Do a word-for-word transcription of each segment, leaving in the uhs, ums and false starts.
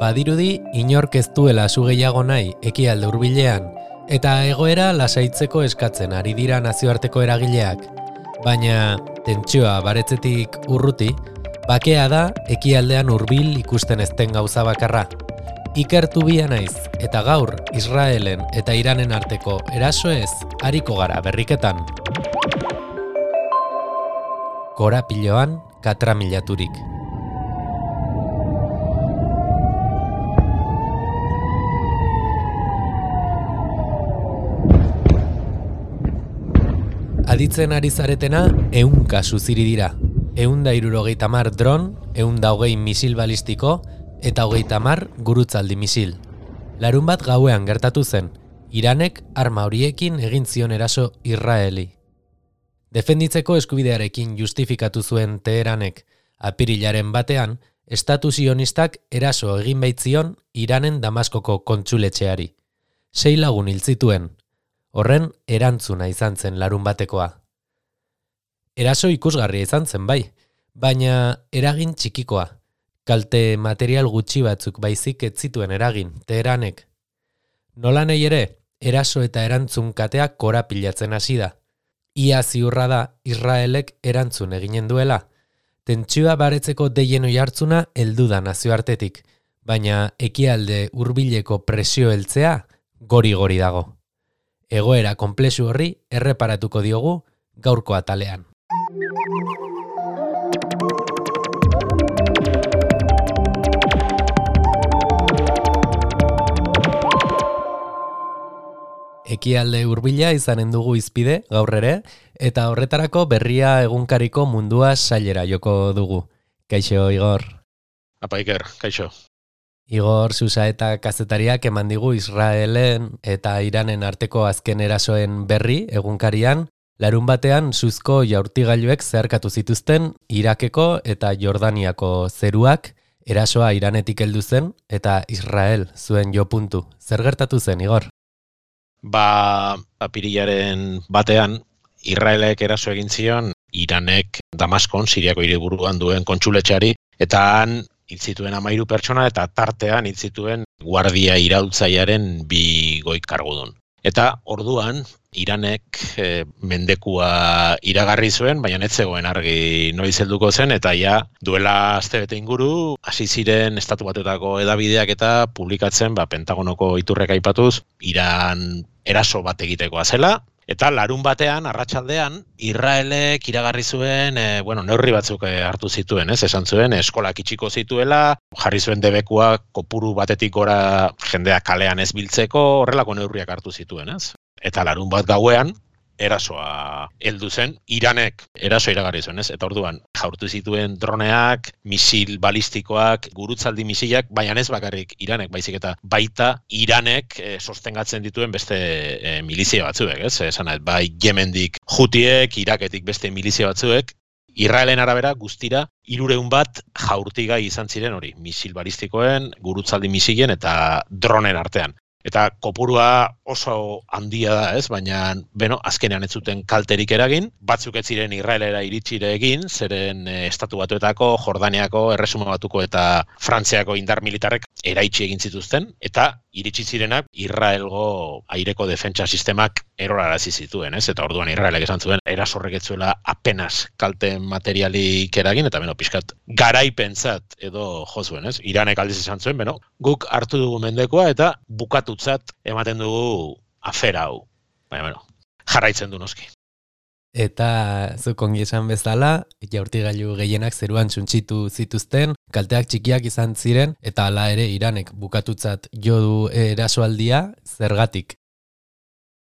Badirudi inork ez duela su gehiago nahi ekialde hurbilean, eta egoera lasaitzeko eskatzen ari dira nazioarteko eragileak. Baina tentsioa baretzetik urruti, bakea da ekialdean hurbil ikusten ezten gauza bakarra. Ikertu bia naiz, eta gaur Israelen eta Iranen arteko erasoez ariko gara berriketan. Korapiloan katramilaturik. Aditzen ari zaretena, ehun kasu ziri dira. Ehun da hirurogeita hamar dron, ehun da hogei misil balistiko, eta hogeita hamar gurutzaldi misil. Larun bat gauean gertatu zen, Iranek arma horiekin egin zion eraso Israeli. Defenditzeko eskubidearekin justifikatu zuen Teheranek, apirilaren batean, estatu sionistak eraso egin baitzion Iranen Damaskoko kontsuletxeari. Sei lagun hil zituen. Horren erantzuna izan zen larun batekoa. Eraso ikusgarria izan zen bai, baina eragin txikikoa. Kalte material gutxi batzuk baizik ez zituen eragin, Teheranek. Nola nahi ere, eraso eta erantzun kateak korapilatzen hasi da. Ia ziurra da Israelek erantzun eginen duela. Tentsioa baretzeko deien oihartzuna heldu da nazioartetik, baina ekialde hurbileko presio heltzea gori-gori dago. Egoera konplexu horri erreparatuko diogu gaurko atalean. Ekialde hurbila izanen dugu izpide gaur ere, eta horretarako berria egunkariko mundua sailera joko dugu. Kaixo, Igor. Apa, Iker, kaixo. Igor Susa eta kazetariak eman digu Israelen eta Iranen arteko azken erasoen berri egunkarian, larun batean suzko jaurtigailuek zeharkatu zituzten Irakeko eta Jordaniako zeruak, erasoa Iranetik heldu zen eta Israel zuen jo puntu. Zer gertatu zen, Igor? Ba, apirilaren batean, Israelek eraso egin zion Iranek Damaskon, Siriako hiriburuan duen kontsuletxeari, eta han hil zituen hamairu pertsona eta tartean hil zituen guardia iraultzailearen bi goi kargudun. Eta orduan Iranek e, mendekua iragarri zuen, baina ez zegoen argi noiz helduko zen, eta ja duela astebete inguru hasi ziren Estatu Batuetako hedabideak eta publikatzen, ba, Pentagonoko iturrek aipatuz, Iran eraso bat egitekoa zela. Eta larun batean, arratsaldean, Israelek iragarri zuen, e, bueno, neurri batzuk hartu zituen, ez? Esan zuen, eskolak itxiko zituela, jarri zuen debekua kopuru batetik gora jendea kalean ez biltzeko, horrelako neurriak hartu zituen, ez? Eta larun bat gauean, erasoa heldu zen, Iranek eraso iragarri zuen, ez? Eta orduan, jaurtu zituen droneak, misil balistikoak, gurutzaldi misilak, baina ez bakarrik Iranek, baizik eta baita Iranek e, sostengatzen dituen beste e, milizia batzuek, ez? Esan nahi, bai Yemendik Hutiek, Iraketik beste milizia batzuek, Israelen arabera guztira hirurehun bat jaurtigai izan ziren hori, misil balistikoen, gurutzaldi misilen eta dronen artean. Eta kopurua oso handia da, ez? Baina, beno, azkenean ez zuten kalterik eragin, batzuk ez ziren Israelera iritsire egin, zeren e, Estatu Batuetako, Jordaniako, Erresuma Batuko eta Frantziako indar militarrek eraitsi egin zituzten, eta iritsi zirenak Israelgo aireko defentsa sistemak erorarazi zituen, ez? Eta orduan Israelek esan zuen, erasorrek ez zuela apenas kalte materialik eragin, eta beno, pixkat garaipentzat edo jo zuen, ez? Iranek aldiz esan zuen, beno, guk hartu dugu mendekua eta bukatutzat ematen dugu afera hau. Baina, bueno, jarraitzen du noski. Eta zuk ongi esan bezala, jaurtigailu gehienak zeruan txuntxitu zituzten, kalteak txikiak izan ziren, eta hala ere Iranek bukatutzat jo du erasoaldia, zergatik.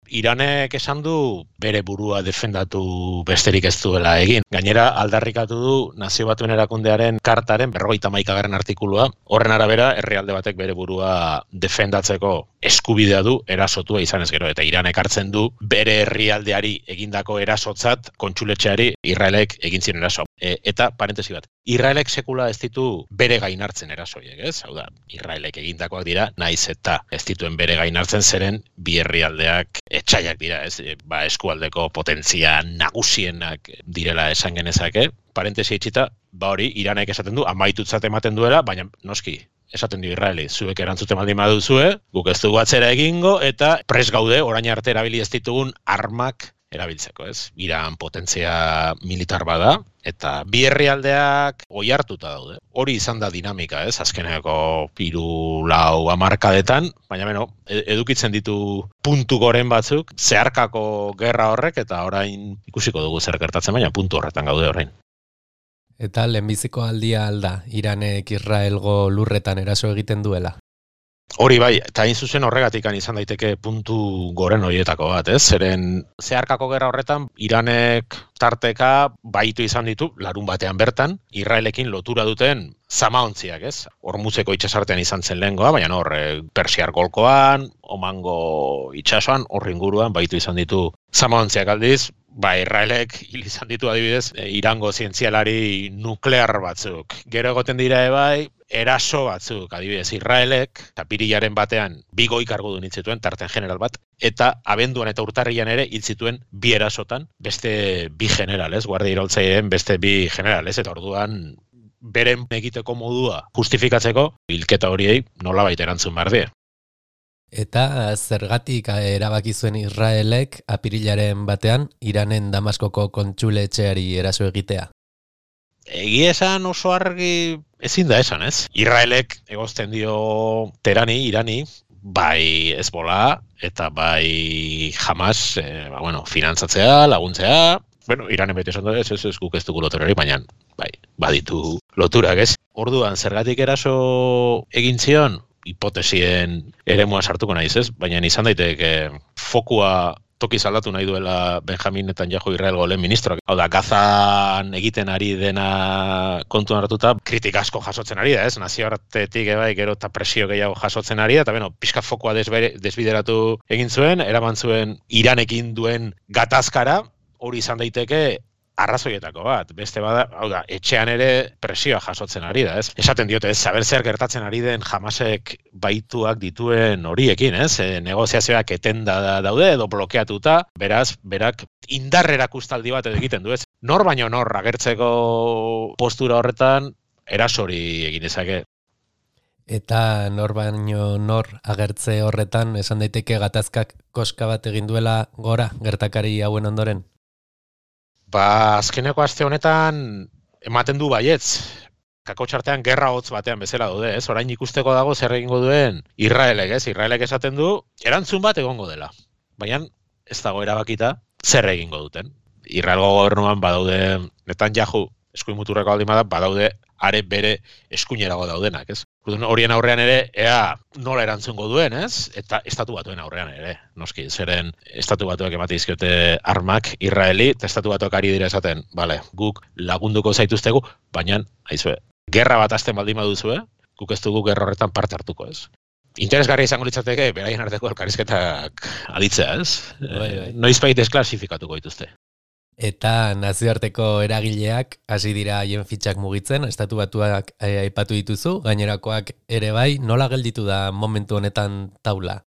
Iranek esan du bere burua defendatu besterik ez duela egin. Gainera, aldarrikatu du Nazio Batuen Erakundearen kartaren berrogeita hamaikagarren artikulua. Horren arabera, herrialde batek bere burua defendatzeko eskubidea du erasotua izanez gero. Eta Iranek hartzen du bere herrialdeari egindako erasotzat kontsuletxeari Israelek egin ziren eraso. E, eta, parentesi bat, Israelek sekula ez ditu bere gain hartzen erasoiek, ez? Hau da, Israelek egindakoak dira, naiz eta ez dituen bere gain hartzen zeren bi herrialdeak etxaiak dira, ez? Ba, eskualdeko potentzia nagusienak direla esan genezake. Parentesi itxita, ba hori, Iranek esaten du, amaitutzat ematen duela, baina noski, esaten dio Israeli, zuek erantzuten baldin baduzue, guk ez dugu atzera egingo, eta pres gaude orain arte erabili ez ditugun armak erabiltzeko, ez? Iran potentzia militar bada, eta bi herrialdeak oihartuta daude. Hori izan da dinamika, ez? Azkeneko hiru lau hamarkadetan, baina beno, edukitzen ditu puntu goren batzuk, zeharkako gerra horrek, eta orain ikusiko dugu zer gertatzen, baina puntu horretan gaude orain. Eta lehenbiziko aldia alda, Iranek Israelgo lurretan eraso egiten duela? Hori bai, eta hain zuzen horregatik izan daiteke puntu goren horietako bat, ez? Zeren zeharkako gerra horretan, Iranek tarteka baitu izan ditu, larun batean bertan, Israelekin lotura duten zamaontziak, ez? Hormuzeko itxasartean izan zen lehengoa, baina hor, Persiar golkoan, Omango itxasoan, hor inguruan baitu izan ditu zamaontziak aldiz, ba, Israelek hil izan ditu adibidez, Irango zientzialari nuklear batzuk. Gero egoten dira ebai, eraso batzuk, adibidez, Israelek, eta pirilaren batean bi goi kargudun hil zituen, tarten general bat, eta abenduan eta urtarrian ere hil zituen bi erasotan, beste bi generales, guardia iraultzaileen beste bi generales, eta orduan beren egiteko modua justifikatzeko, hilketa horiei nolabait erantzun behar die. Eta zergatik erabaki zuen Israelek apirilaren batean Iranen Damaskoko kontsuletxeari eraso egitea? Egia esan oso argi ezin da esan, ez? Israelek egozten dio Terani, Irani, bai Hezbollah eta bai Hamas, eh, ba, bueno, finantzatzea, laguntzea, bueno, Iranen beti esan da, ez, ez, ez, guk ez dugu loturari, baina bai, baditu loturak, ez? Orduan, zergatik eraso egin zion, hipotesien eremua sartuko naiz, ez? Baina izan daiteke fokua tokiz aldatu nahi duela Benjamin Netanyahu Israelgo lehen ministroak. Hau da, Gazan egiten ari dena kontuan hartuta, kritika asko jasotzen ari da, ez? Nazioartetik ebai gero eta presio gehiago jasotzen ari da, eta beno, pixka fokua desbideratu egin zuen, eraman zuen Iranekin duen gatazkara, hori izan daiteke arrazoietako bat, beste bada, hau da, etxean ere presioa jasotzen ari da, ez? Esaten diote, ez, saber zer gertatzen ari den Hamasek baituak dituen horiekin, ez? E, negoziazioak etenda daude edo blokeatuta, beraz, berak indarrera kustaldi bat egiten du, ez? Nor baino nor agertzeko postura horretan erasori egin ezake. Eta nor baino nor agertze horretan esan daiteke gatazkak koska bat egin duela gora gertakari hauen ondoren? Ba, azkeneko aste honetan ematen du baietz. Kakotxartean gerra hotz batean bezala daude, ez? Orain ikusteko dago zer egingo duen Israelek, ez? Israelek esaten du erantzun bat egongo dela. Baina ez dago erabakita zer egingo duten. Israelgo gobernuan badaude Netanyahu eskuin muturreko baldin bada, badaude are bere eskuinerago daudenak, ez? Horien aurrean ere, ea nola erantzungo duen, ez? Eta estatu batuen aurrean ere, noski, zeren estatu batuak emate dizkiote armak Israeli, eta estatu batuak ari dira esaten, bale, guk lagunduko zaituztegu, baina, aizue, gerra bat hasten baldin baduzue, guk ez dugu gerra horretan parte hartuko, ez? Interesgarria izango litzateke, beraien arteko elkarrizketak aditzea, ez? Bai, bai. Noizbait desklasifikatuko dituzte. Eta nazioarteko eragileak hasi dira haien fitxak mugitzen, estatu batuak aipatu dituzu, gainerakoak ere bai, nola gelditu da momentu honetan taula?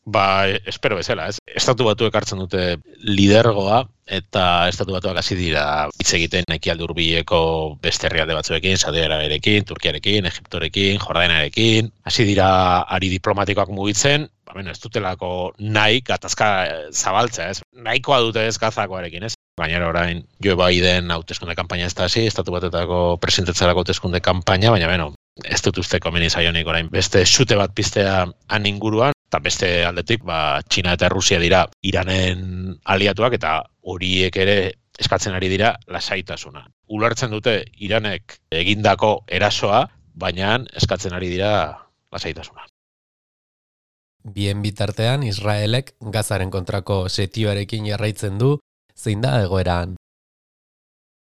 Ba, espero bezala, ez? Estatu batuek hartzen dute lidergoa, eta estatu batuak hasi dira hitz egiten ekialde hurbileko beste herrialde batzuekin, Saudi Arabiarekin, Turkiarekin, Egiptorekin, Jordaniarekin, hasi dira ari diplomatikoak mugitzen, ba, bueno, ez dutelako nahi gatazka zabaltzea, ez? Nahikoa dute ez Gazakoarekin, ez? Gainera orain Joe Biden hauteskunde kanpaina ez da hasi, estatu batetako presidentetzarako hauteskunde kanpaina, baina beno, ez dut uste komeni zaionik orain beste xute bat piztea han inguruan, eta beste aldetik, ba, Txina eta Rusia dira Iranen aliatuak, eta horiek ere eskatzen ari dira lasaitasuna. Ulertzen dute Iranek egindako erasoa, baina eskatzen ari dira lasaitasuna. Bien bitartean, Israelek Gazaren kontrako setioarekin jarraitzen du, zein da egoeran?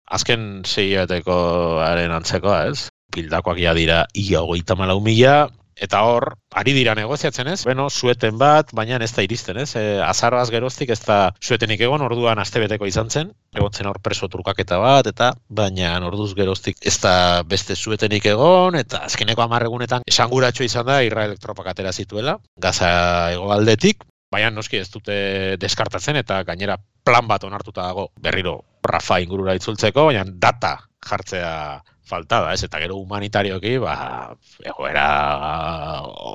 Azken seioetekoaren antzekoa, ez? Pildakoak ja dira ia hogeita hamalau mila, eta hor, ari dira negoziatzen, ez? Beno, sueten bat, baina ez da iristen, ez? E, azaroaz geroztik ez da suetenik egon, orduan astebeteko izan zen, egotzen hor preso trukaketa bat, eta baina orduz geroztik ez da beste suetenik egon, eta azkeneko hamar egunetan esanguratxo izan da Israelek tropak atera zituela, Gaza hegoaldetik, baina noski ez dute deskartatzen, eta gainera plan bat onartuta dago berriro Rafa ingurura itzultzeko, baina data jartzea falta da, ez? Eta gero humanitarioki, ba, egoera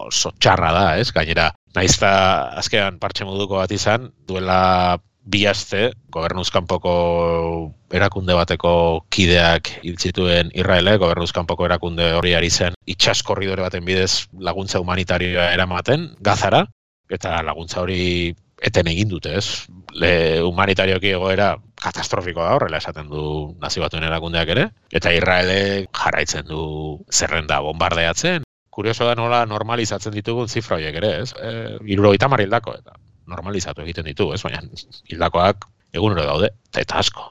oso txarra da, ez? Gainera, naizta azkean partxe moduko bat izan, duela bi aste, gobernuz kanpoko erakunde bateko kideak hil zituen Israelek, gobernuz kanpoko erakunde hori ari zen itsas korridore baten bidez laguntza humanitarioa eramaten Gazara, eta laguntza hori eten egin dute, ez? Le, humanitarioki egoera katastrofikoa da, horrela esaten du Nazio Batuen erakundeak ere, eta Israelek jarraitzen du zerrenda bombardeatzen. Kurioso da nola normalizatzen ditugun zifra horiek ere, ez? E, hirurogeita hamar hildako, eta normalizatu egiten ditu, ez? Baina hildakoak egunero daude, eta asko.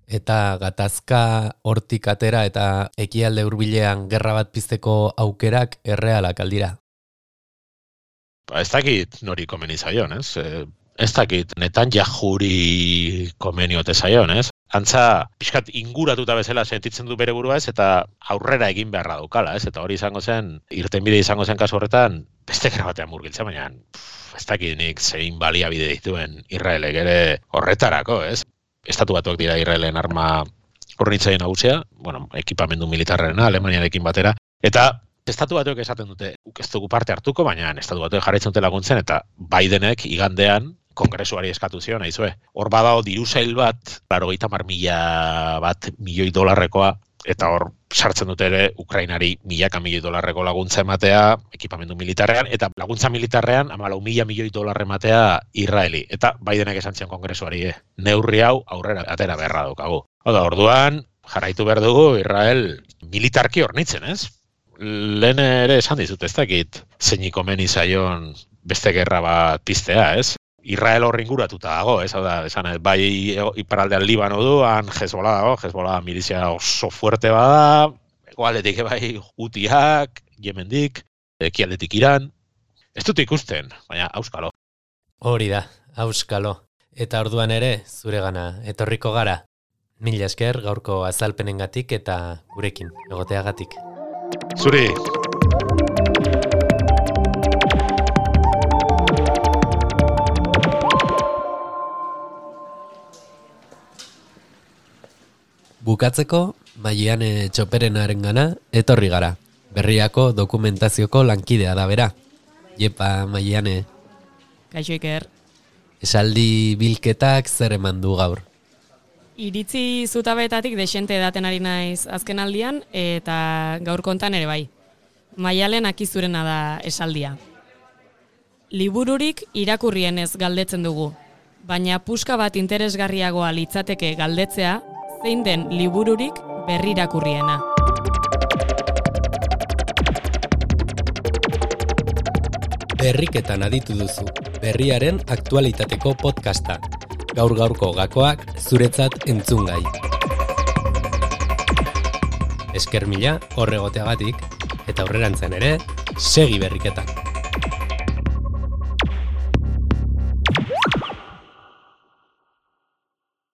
Eta gatazka hortik atera eta ekialde hurbilean gerra bat pizteko aukerak errealak aldira. Ba, ez dakit nori komeni zaion, ez? E, ez dakit Netanyahuri komeni ote zaion, ez? Antza, pixkat inguratuta bezala sentitzen du bere burua ez, eta aurrera egin beharra daukala, ez? Eta hori izango zen, irtenbide izango zen kasu horretan, beste gerra batean murgiltzen, baina pff, ez dakit nik zein baliabide dituen Israelek ere horretarako, ez? Estatu Batuak dira Israelen arma hornitzaile nagusia, bueno, ekipamendu militarrena, Alemaniarekin batera, eta Estatu Batuek esaten dute, ez dugu parte hartuko, baina Estatu Batuek jarraitzen dute laguntzen, eta Bidenek igandean kongresuari eskatu zion, aizue. Hor badao dirusail bat, laurogeita hamar mila bat milioi dolarrekoa, eta hor sartzen dute ere Ukrainari milaka milioi dolarreko laguntza ematea ekipamendu militarrean, eta laguntza militarrean hamalau mila milioi dolarre ematea Israeli. Eta Bidenek esan zion kongresuari, eh, neurri hau aurrera atera beharra daukagu. Oda, orduan, jarraitu behar dugu Israel militarki hornitzen, ez? Lehen ere esan dizut, ez dakit zeinik komeni zaion beste gerra bat piztea, ez? Israel hor inguratuta dago, ez? Hau da, esan, bai iparraldean Libano du, han Hezbollah dago, Hezbollah milizia oso fuerte bada, egoaldetik bai Hutiak, Yemendik, ekialdetik Iran. Ez dut ikusten, baina auskalo. Hori da, auskalo. Eta orduan ere, zuregana etorriko gara. Mila esker gaurko azalpenengatik eta gurekin egoteagatik. Zuri! Bukatzeko, Maiane Txoperenarengana etorri gara. Berriako dokumentazioko lankidea da bera. Jepa, Maiane. Kaixo Iker. Esaldi bilketak zer eman du gaur? Iritzi zutabetatik desente edaten ari naiz azken aldian, eta gaur kontan ere bai. Maialen akizurena da esaldia. Libururik irakurrienez galdetzen dugu, baina puska bat interesgarriagoa litzateke galdetzea, zein den libururik berrirakurriena. Berriketan aditu duzu, berriaren aktualitateko podcasta. Gaur-gaurko gakoak zuretzat entzungai. Esker mila horregoteagatik, eta aurrerantzen ere, segi berriketan.